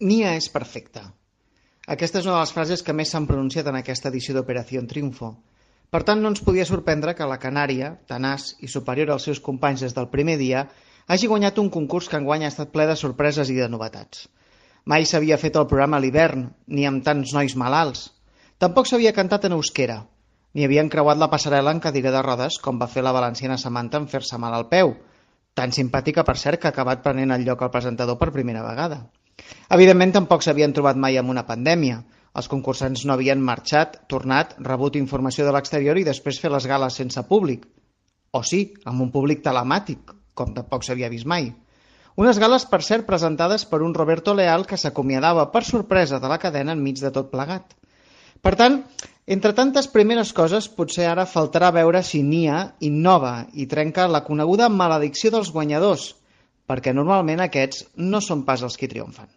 Nia és perfecta. Aquesta és una de les frases que més s'han pronunciat en aquesta edició d'Operació Triunfo. Per tant, no ens podia sorprendre que la Canària, tenaç i superior als seus companys des del primer dia, hagi guanyat un concurs que enguany ha estat ple de sorpreses i de novetats. Mai s'havia fet el programa a l'hivern, ni amb tants nois malalts. Tampoc s'havia cantat en euskera, ni havien creuat la passarel·la en cadira de rodes com va fer la valenciana Samantha en fer-se mal al peu, tan simpàtica per cert que ha acabat prenent el lloc al presentador per primera vegada. Evidentment tampoc s'havien trobat mai amb una pandèmia. Els concursants no havien marxat, tornat, rebut informació de l'exterior i després fer les gales sense públic. O sí, amb un públic telemàtic, com tampoc s'havia vist mai. Unes gales, per cert, presentades per un Roberto Leal que s'acomiadava per sorpresa de la cadena enmig de tot plegat. Per tant, entre tantes primeres coses, potser ara faltarà veure si Nia innova i trenca la coneguda maledicció dels guanyadors, perquè normalment aquests no són pas els qui triomfen.